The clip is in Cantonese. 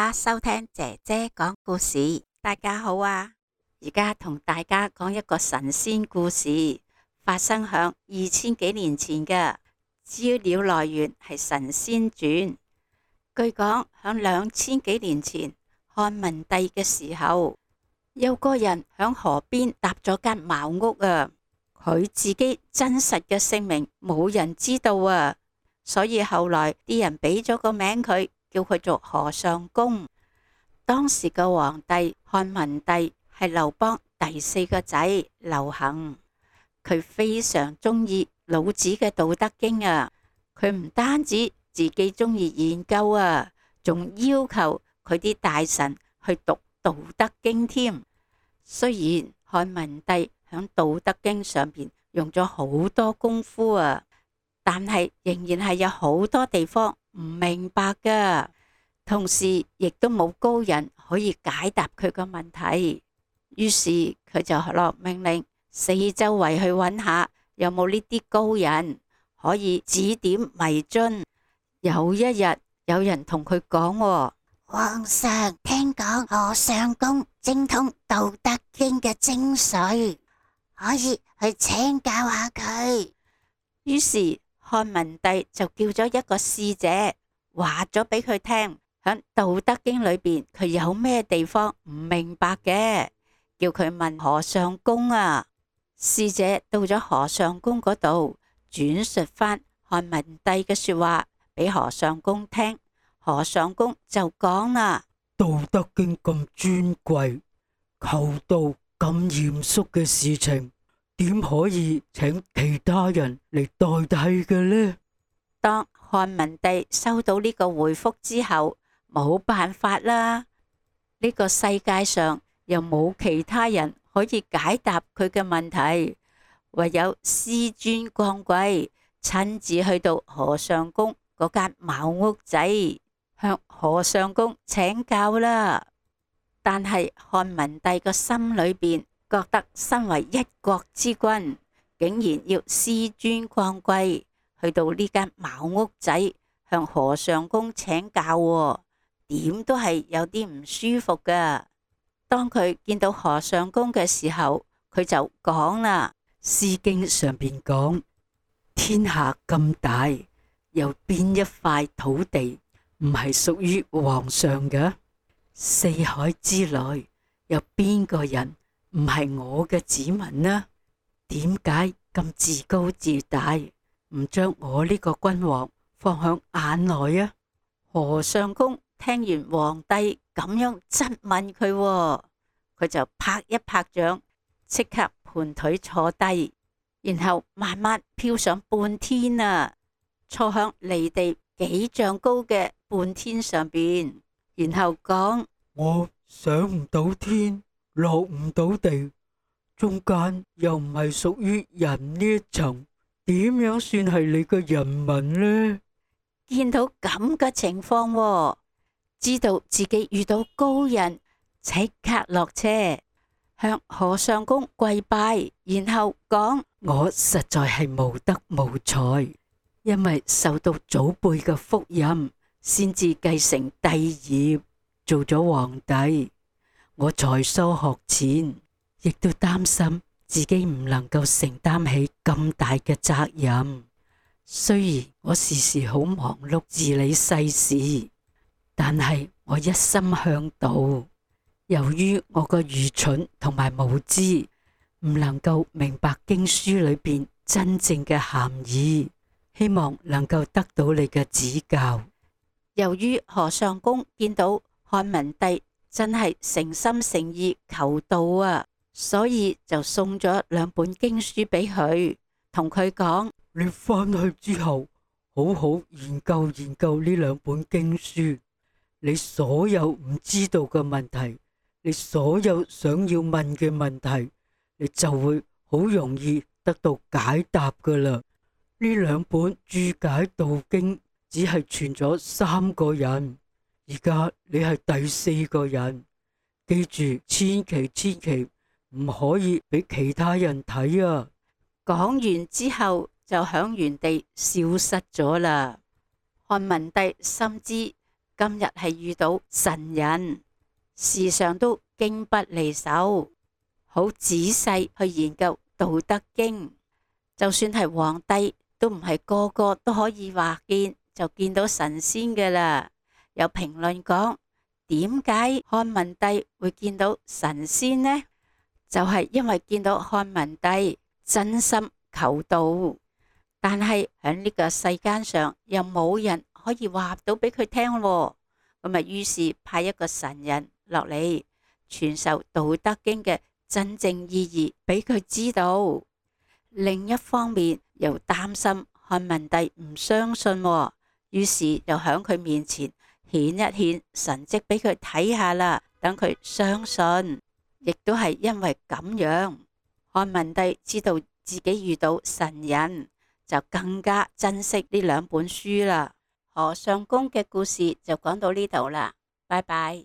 家收聽姐姐講故事。大家好啊！而家同大家講一個神仙故事，發生響2000幾年前嘅。資料來源係神仙傳。據講響2000幾年前，漢文帝嘅時候，有個人響河邊搭咗間茅屋啊。佢自己真實嘅姓名冇人知道啊，所以後來啲人俾咗個名佢，叫佢做河上公。當時嘅皇帝漢文帝係劉邦第4個仔劉恒，佢非常中意老子嘅《道德經》啊。佢唔單止自己中意研究啊，仲要求佢啲大臣去讀《道德經》添。雖然漢文帝響《道德經》上邊用咗好多功夫啊，但係仍然係有好多地方唔明白噶。同時亦都冇高人可以解答佢個問題，於是佢就落命令四周圍去揾下有冇呢啲高人可以指點迷津。有一日有人同佢講，皇上聽講河上公精通《道德經》嘅精髓，可以去請教下佢。於是漢文帝就叫咗一個使者，話咗俾佢聽喺《道德經》裏邊佢有咩地方唔明白嘅，叫佢問河上公啊。使者到咗河上公嗰度，轉述翻漢文帝嘅說話俾河上公聽。河上公就講啦：《道德經》咁尊貴，求道咁嚴肅嘅事情，點可以請其他人嚟代替嘅呢？當漢文帝收到呢個回覆之後，冇辦法啦，呢個世界上又冇其他人可以解答佢嘅問題，唯有師尊降貴，親自去到河上公嗰間茅屋仔，向河上公請教啦。但係漢文帝個心裏邊覺得身為一國之君，竟然要師尊降貴去到呢間茅屋仔向河上公請教，點都係有啲唔舒服噶。當佢見到河上公嘅時候，佢就講啦：《詩經》上邊講，天下咁大，有邊一塊土地唔係屬於皇上嘅？四海之內，有邊個人唔係我嘅子民呢？點解咁自高自大，唔將我呢個君王放響眼內啊？河上公聽完皇帝咁樣質問佢，佢就拍一拍掌，即刻盤腿坐低，然後慢慢飄上半天啊，坐響離地幾丈高嘅半天上邊，然後講：我上唔到天，落唔到地，中間又唔係屬於人呢一層，點樣算係你嘅人民呢？見到咁嘅情況，知道自己遇到高人，即刻落車向河上公跪拜，然後講：我實在係無德無才，因為受到祖輩嘅福蔭，先至繼承帝業，做咗皇帝。我才疏學淺，亦都擔心自己唔能夠承擔起咁大嘅責任。雖然我時時好忙碌治理世事，但係我一心向道。由於我個愚蠢同埋無知，唔能夠明白經書裏邊真正嘅含義，希望能夠得到你嘅指教。由於河上公見到漢文帝真係誠心誠意求道啊，所以就送咗2本經書俾佢，同佢講：你翻去之後，好好研究研究呢2本經書，你所有唔知道嘅問題，你所有想要問嘅問題，你就會好容易得到解答噶啦。呢2本注解道經只係傳咗3個人，而家你係第4個人，記住千祈唔可以俾其他人睇啊！講完之後就響原地消失咗啦。漢文帝深知今日係遇到神人，時常都經不離手，好仔細去研究《道德經》。就算係皇帝，都唔係個個都可以話見就見到神仙㗎喇。有評論講，點解漢文帝會見到神仙呢？就係因為見到漢文帝真心求道，但係喺呢個世間上又冇人可以話到俾佢聽喎。咁啊，於是派一個神人落嚟傳授《道德經》嘅真正意義俾佢知道。另一方面又擔心漢文帝唔相信喎，於是又喺佢面前顯一顯神蹟俾佢睇下啦，等佢相信。亦都係因為咁樣，漢文帝知道自己遇到神人，就更加珍惜呢兩本書啦。河上公嘅故事就講到呢度啦，拜拜。